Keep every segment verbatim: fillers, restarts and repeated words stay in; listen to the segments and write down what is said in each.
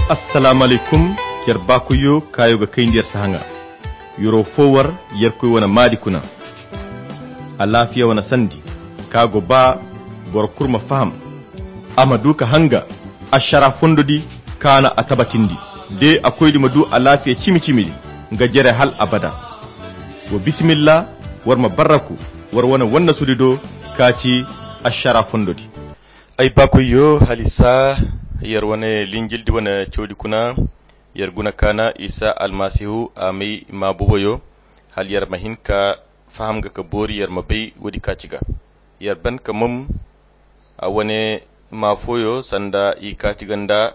Assalaamu alaykum. Yer baakoyyo kaayo ga kayndi yer sahaŋa. Yoro fo war yerkoy wane maadi kuna. Alaafiya wane sandi ka go ba boro kulu ma faham, a ma du ka hanga ašara fondo di kaana a tabatindi. De a koydi ma du alaafiya cimi-cimi di nga jere hal abada. Wa bisimilla, war ma barraku war wane wannasudi do ka ci ašara fondo di. Ay baakoyyo, halisa yer wane linjildi wane cawdi kuna. Yer guna kaana isa almasihu a may ma boboyo, hal yer ma hin ka faham ga ka boori yer ma bay woodi ka ci ga. Yer ban ka mom a wane ma fooyo sanda i kaati ganda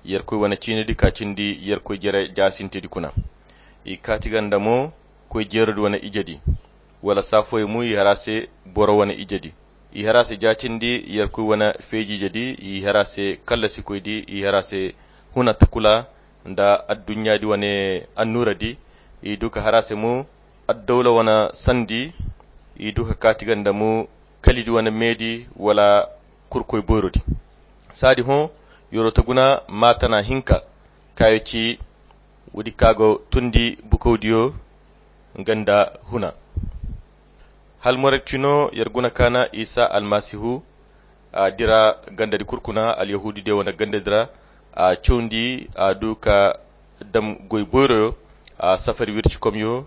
yerkoy wane ciinidi ka cindi yerkoy jere jaasintedi kuna. I kaati ganda mo koy jeerodi wane ijedi, wala saa fooyo mo i har a se boro wane ijedi. I har a se jaatindi yerkoy wane feeji ijedi, i har a se kallasikoydi, i har a se huna takula nda adduɲɲaadi wane annuuradi. I du ka har a se mo addawla wane sandi. I du ka kaati ganda mo kalidi wane meedi wala kurkoy boyrodi. Saadi hõ yoro ta guna maatana hinka kaayo ci woodi ka go tundi bukawdiyo nga nda huna. Hal moret cino yer guna kaana isa almasihu a dira gandadi kurkuna alyahuudu diyo wane gandadi ra. A cawndi a du ka dam goy boyroyo, a safari wircikomyo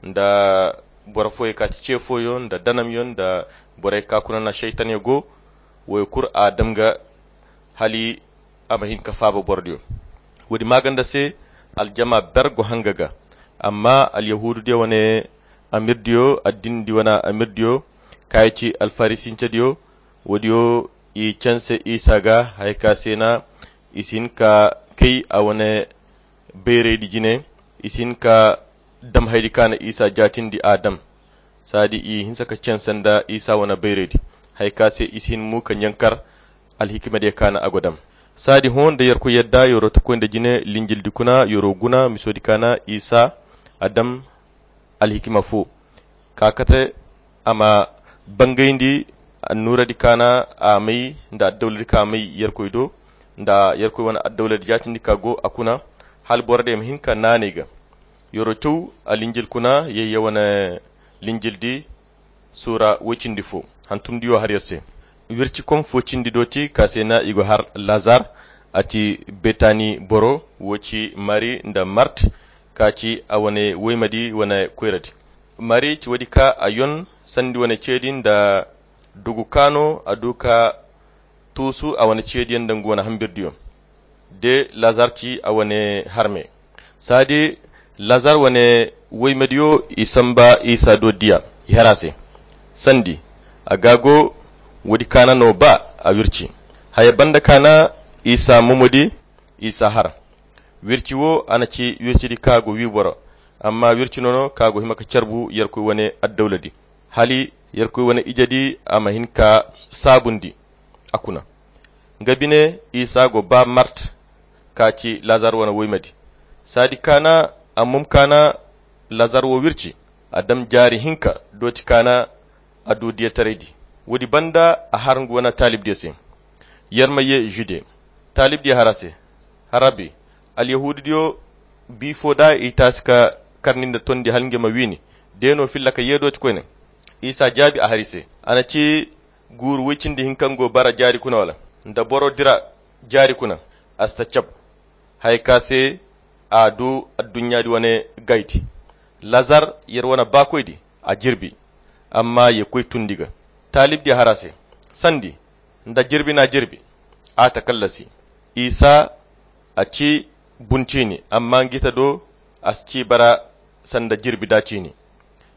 nda boro fooyo ka ti ce fooyo nda danamyo nda borey ka kuna na saytanyo go. Woy kulu a dam ga hali a ma hin ka faaba borodiyo. Woodi maaganda se aljama ber go hanga ga. Amma alyahuudu diyo wane amirdiyo addinedi wane amirdiyo kaayo ci alfarisincediyo, woodiyo i canse isa ga haya ka se na i si hin ka kay a wane bayraydi jine. I si hin ka dam haydi ka na isa jaatindi a dam. Saadi i hinsa ka canse nda isa wane bayraydi haya ka se i si hin mo ka ɲankar alhikimadiyo ka na a go dam. Saadi hõ nda yerkoy yadda yoro ta koy nda jine linjildi kuna yoro guna misodi ka na isa a dam alhikima fo ka kate a ma bangayndi annuuradi ka na a may nda addawladi ka may yerkoy do nda yerkoy wane addawladi jaatindi ka go a kuna hal borodiyo ma hin ka naanay ga. Yoro caw alinjil kuna yayya wane linjildi suura woy cindi fo. Hantumdiyo har yer se wircikom fo cindi do ti ka se na i go har lazar. A ti betani boro wo ci mari nda mart ka ci a wane woymadi wane koyradi. Mari ci woodi ka a yon sandi wane ceedi nda dugu ka no a du ka tuusu a wane ceediyaŋ nda ngu wane hambirdiyo de lazar ci a wane harme. Saadi lazar wane woymediyo i samba isa do diya i har a se sandi a ga go woodi kaana no ba a wirci haya banda kaana isa momodi isa har. Wirci wo a na ci wircidi ka go wi boro amma wirci nono ka go hima ka carbu yerkoy wane addawladi hali yerkoy wane ijedi a ma hin ka saabundi a kuna. Nga bine isa go ba mart ka ci lazar wane woymadi. Saadi kaana a mum kaana lazar wo wirci a dam jaari hinka dooti kaana a du diyataraydi. Woodi banda a har nga wane taalibdiyo se yer ma ye jude. Taalibdiyo har a se harabi alyahuududiyo bi fo da i taasi ka karni nda tondi hala nga ma wiini de no filla ka ye dooti koyne. Isa jaabi a har i se a na ci guuru woy cindi hinka nga go bara jaari kuna wala nda boro dira jaari kuna a si ta cab. Haya ka se a du adduɲɲaadi wane gaydi lazar yer wane baakoydi a jirbi amma ye koy tundi ga. Taalibdiyo har a se sandi nda jirbi na jirbi a ta kallasi. Isa a ci bun ciini amma nga ita do a si ci bara sanda jirbi da ciini.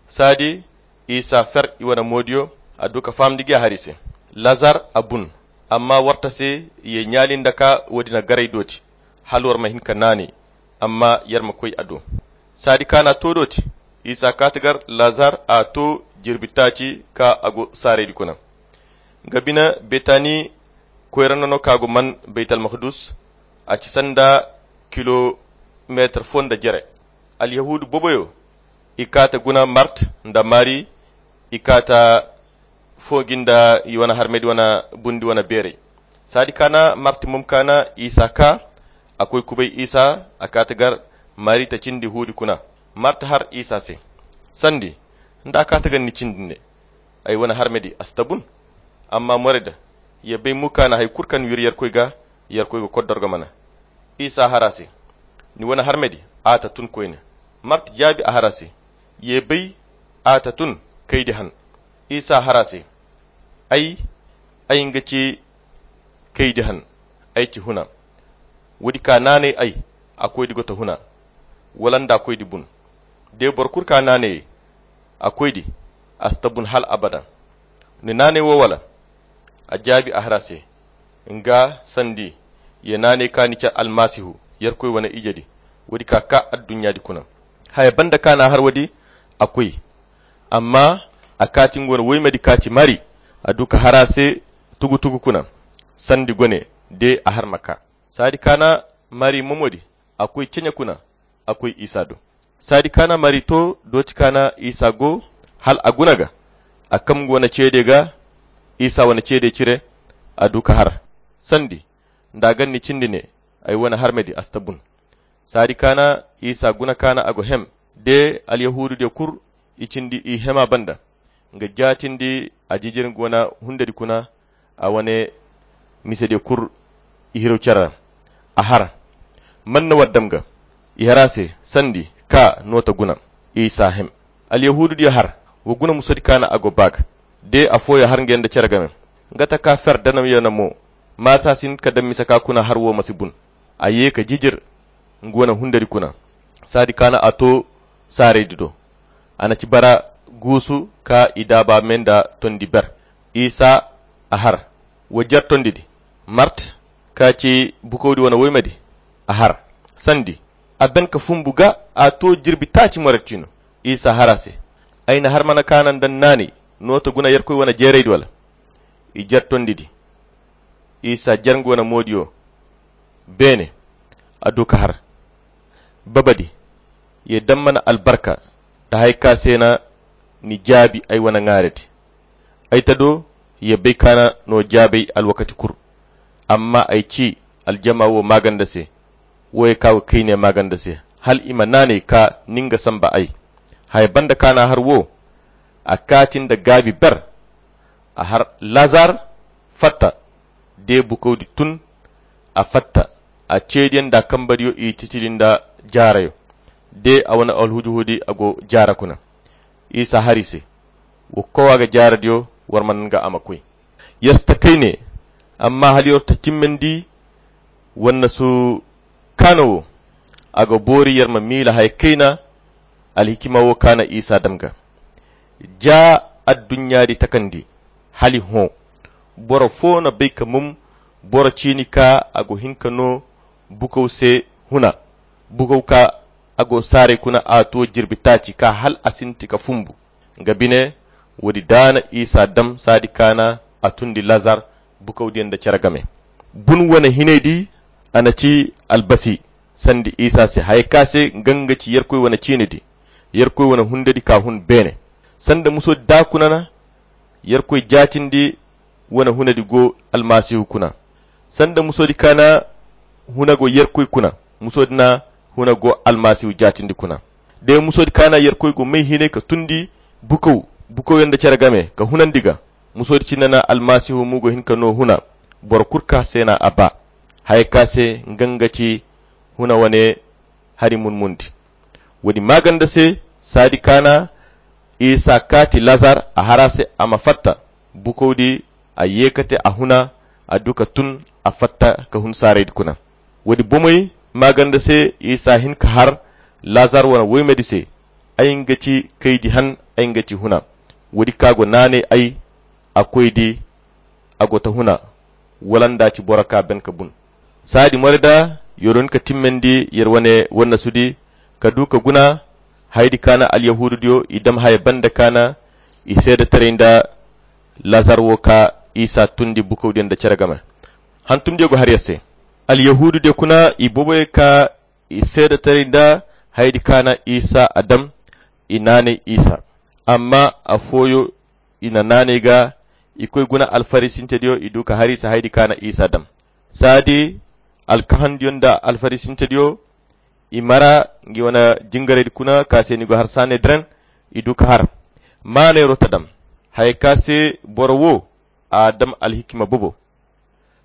Saadi isa fer i wane moodiyo a du ka fahamndi gi a har i se lazar a bun amma war ta se ye ɲaali nda ka woodi na garay dooti hala war ma hin ka naani amma yer ma koy a do. Saadi kaana to dooti isa kaati gar lazar a to jirbi taaci ka a go saaraydi kuna. Nga bine betani koyra nono ka go man baytalmakdus a ci sanda kilomeetar fo nda jere. Alyahuudu boboyo i kaata guna mart nda mari i kaata foogi nda i wane harmedi wane bundi wane beeray. Saadi kaana mart mum kaana isa ka A koy kubay isa, a kaati gar marita cindi huudi kuna. Marta har isa se, sandi nda a kaati gar ni cindi ne, ay wane harmedi a si tabun. Amma moreda ya bay muka na hay kul kan wir yarkoy ga, yarkoy ga koddor ga mana. Isa har a se, ni wane harmedi a ta tun koyne. Marta jaabi a har a se, ya bay a ta tun kaydi han. Isa har a se, ay ay nga ci kaydi han, ay ci huna. Woodi ka naanay ay, a koydi go ta huna, wala nda a koydi bun. De boro kul ka naanay a koydi, a si ta bun hal abada. Ni naanay wo wala? A jaabi a har a se, nga sandi ya naanay ka ni care almasihu, yarkoy wane ijedi. Woodi ka ka adduɲɲaadi kuna. Haya banda ka na a har woodi, a koy. Amma a kaati nga wane woymedi ka ci mari, a du ka har a se tugu-tugu kuna. Sandi gone de a har ma ka. Saadi ka na mari momodi, a koy ceɲe kuna, a koy isa do. Saadi ka na mari to dooti ka na isa go, hal a guna ga. A kam nga wane ceede ga, isa wane ceede cire, a du ka har. Sandi nda a gan ni cindi ne, ay wane harmedi a si ta bun. Saadi ka na isa guna ka na a go hem. De alyahuudu diyo kul i cindi i hema banda, nga jaatindi a jijir nga wane hundedi kuna, a wane mise diyo kul i hiraw care ra. A har, man na war dam ga? I har a se, sandi ka no ta guna. Isa hem. Alyahuudu diyo har, wa guna musodi ka na a go ba ga. De afooyaŋ har nga yaŋ nda care game, nga taka fer danamyaŋ mo. Maasa si hin ka daŋ mise ka kuna har wo ma si bun. A ye ka jijir nga wane hundedi kuna. Saadi ka na a to saaraydi do. A na ci bara guusu ka i daaba me nda tondi ber. Isa a har, wa jer tondidi. Mart ka ci bukawdi wane woymedi, a har. Sandi a ben ka fumbu ga, a to jirbi taaci moret ciino. Isa har a se, ay na har mana ka na nda ni naanay no ta guna yerkoy wane jeeraydi wala? I jer tondidi. Isa jer nga wane moodiyo beene, a du ka har. Babadi, ye daŋ mana albarka nda hari ka se na ni jaabi ay wane ŋwaaredi. Ay ta do, ye bay ka na no jaabay alwakati kul. Amma ay ci aljama wo maaganda se, wo ye ka go kayne maaganda se, hal i ma naanay ka ni nga samba ay. Haya banda ka na har wo, a kaati nda gaabi ber. A har lazar fatta. De bukawdi tun, a fatta. A ceediyaŋ nda a kambadiyo i cicili nda jaarayo. De a wane alhujuhudi a go jaara kuna. Isa har i se, wa kowa ga jaaradiyo, war mana nga a ma koy. Yer si ta kayne, amma hala yer ta cimmandi. Wannasu kaana wo, a ga boori yer ma miila haya kayna. Alhikima wo ka na isa dam ga. Ja adduɲɲaadi takandi, hali hõ. Boro fo na bay ka mum boro ciini ka a go hin ka no bukaw se huna. Bukaw ka a go saaray kuna a to jirbi taaci ka hal a sinti ka fumbu. Nga bine, woodi daana isa dam saadi kaana a tundi lazar bukawdiyaŋ nda care game. Bun wane hinaydi, a na ci albasi sanda isa se haya ka se nga nga ci yerkoy wane ciinidi, yerkoy wane hundedi ka hun beene. Sanda musoodi daa kuna na yerkoy jaatindi wane hunadi go almasihu kuna. Sanda musoodi ka na huna go yerkoy kuna, musoodi na huna go almasihu jaatindi kuna. De musoodi ka na yerkoy go may hinay ka tundi bukaw, bukawyaŋ nda care game ka hunandi ga, musoodi cine na almasihu mo go hin ka no huna. Boro kul ka se na a ba haya ka se nga nga ci huna wane hari munmundi. Woodi maaganda se, saadi ka na isa kaati lazar a har a se a ma fatta. Bukawdi a ye ka te a huna, a du ka tun, a fatta ka hun saaraydi kuna. Woodi bomey maaganda se isa hin ka har lazar wane woymedi se, ay nga ci kaydi han, ay nga ci huna. Woodi ka go naanay ay, a koydi a go ta huna, wala nda a ci boro ka ben ka bun. Saadi more da yer hin ka timmandi yer wane wannasudi ka du ka guna hayadi ka na alyahuududiyo i dam haya banda ka na i seedetaray nda lazar wo ka isa tundi bukawdiyo nda care game. Hantumdiyo go har yer se. Alyahuududiyo kuna i boboyo ka i seedetaray nda hayadi ka na isa a dam, i naanay isa. Amma afooyo i na naanay ga, i koy guna alfarisintediyo i du ka har isa hayadi ka na isa dam. Saadi Alkahandiyo nda alfarisintediyo, i mara ngi wane jingaraydi kuna ka se ni go har sanedren. I du ka har maanayro ta dam haya ka se boro wo a dam alhikima bobo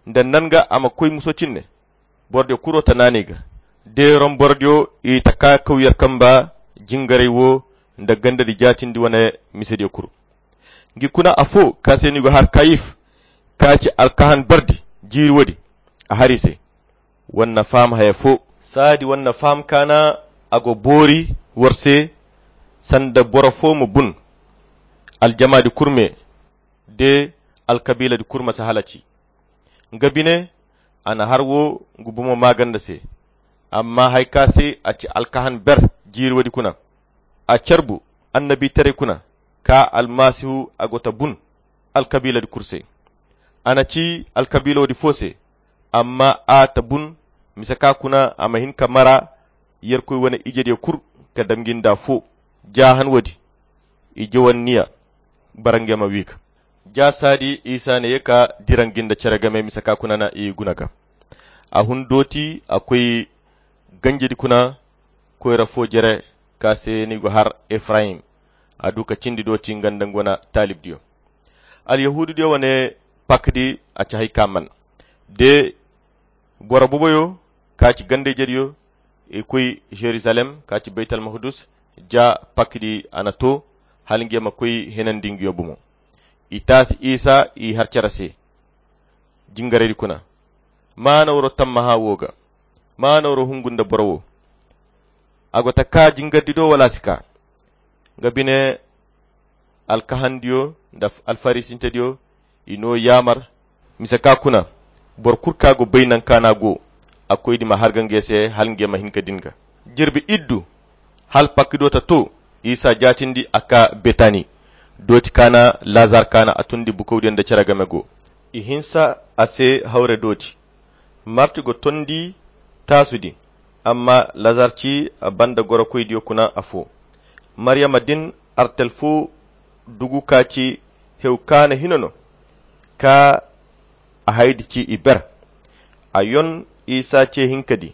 nda nan ga a ma koy muso cinne. Borodiyo kuro ta naanay ga de rom borodiyo i ta ka kaw yer kamba jingaray wo nda gandadi jaatindi wane misediyo kuru. Ngi kuna afo ka se ni go har kayif ka ci alkahan bardi jiiri woodi a har i se. Wanna faham haya fo. Saadi wanna faham kaana a go boori war se sanda boro fo ma bun aljamaadi kurme de alkabiiladi kurma si halaci. Nga bine a na har wo ngu bomo maaganda se. Amma haya ka se a ci alkahan ber jiiri woodi kuna a carbu annabiitaray kuna ka almasihu a go ta bun alkabiiladi kuru se. A na ci alkabiiloodi fo se amma a ta bun mise ka kuna a ma hin ka mara yerkoy wane ijediyo kuru ka dam ngi nda fo. Ja han woodi i jowanniya bara nge ma wi ga. Ja saadi isa na ye ka dira ngi nda cere game mise ka kuna na i guna ga. A hun dooti a koy ganjedi kuna koyra fo jere ka se ni go har efrayim. A du ka cindi dooti nga nda ngu wane taalibdiyo alyahuududiyo wane pakdi a ci hay ka man de boro boboyo ka ci gandayjediyo i koy jerusalem ka ci baytalmakdus. Ja pakdi a na to hala nge ma koy henandi ngiyo bomo. I taasi isa i har cere se jingaraydi kuna maana waro tammaha wo ga maana waro hungu nda boro wo. A go ta ka jingardi do wala a si ka nga bine alkahandiyo nda alfarisintediyo i no yaamar mise ka kuna boro kulu ka go bay nanka na go a koydi ma harga nge se hala nge ma hin ka din ga. Jirbi iddu hala pakkido ta to isa jaatindi a ka betani dooti kaana lazar kaana a tundi bukawdiyo nda cere game go. I hinsa a se hawre dooti marti go tondi taasudi amma lazar ci a banda gorokoydiyo kuna afo. Maryama din artel fo dugu ka ci hew kaana hino no ka a haydi ci i ber. A yon isa ce hinka di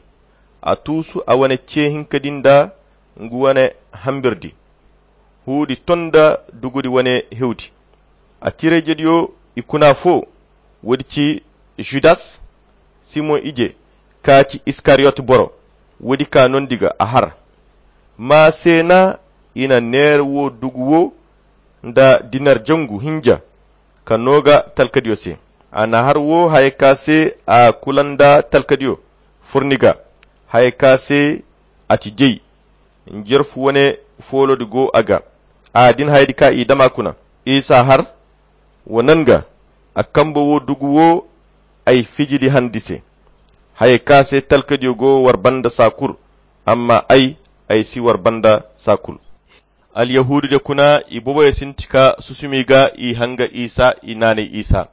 a tuusu a wane ce hinka di nda ngu wane hambirdi huudi to nda dugudi wane hewdi. A tirayjediyo i kuna fo woodi ci judas simon ije ka ci iskariyot boro woodi ka nondi ga a har. Ma se na i na neera wo dugu wo nda dinar jangu hinja ka no ga talkadiyo se. A na har wo haya ka se a kula nda talkadiyo furni ga haya ka se a ci jay. Njerfu wane foolodi go a ga a din hayadi ka i dama kuna isa har wa nan ga a kambe wo dugu wo ay fijidi handi se. Haya ka se talkadiyo go war banda saa kulu amma ay ay si war banda saa kulu. Alyahuududiyo kuna i boboyo sinti ka susumi ga i hanga isa i naanay isa.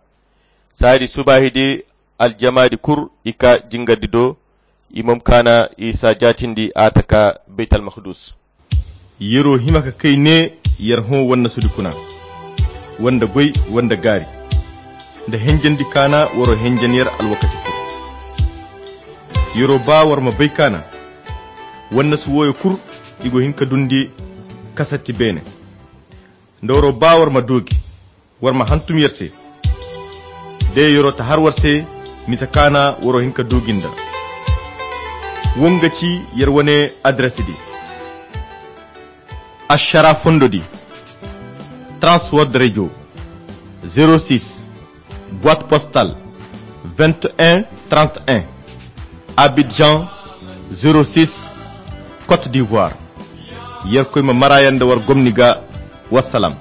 Saadi subaahidi aljamaadi kulu i ka jingardi do. I mom kaana isa jaatindi a ta ka baytalmakdus. Yer'o hima ka kay ne yer hõ wannasudi kuna wanda goy wanda gaari nda henjandi kaana war'o henjan yer alwakati kulu. Yer'o ba war ma bay kaana wannasu wooyo kulu i go hin ka dundi kasatti beene. Nda war'o ba war ma doogi war ma hantum yer se. De yer'o ta har war se mise kaana war'o hin ka doogi nda. Wo nga ci yer wane adres di. Ašara fondo di transword radio zéro six boîte postale vingt et un trente et un, abidjan zéro six, côte d'ivoire. Yerkoy ma maraayanda war gomni ga. Wassalam.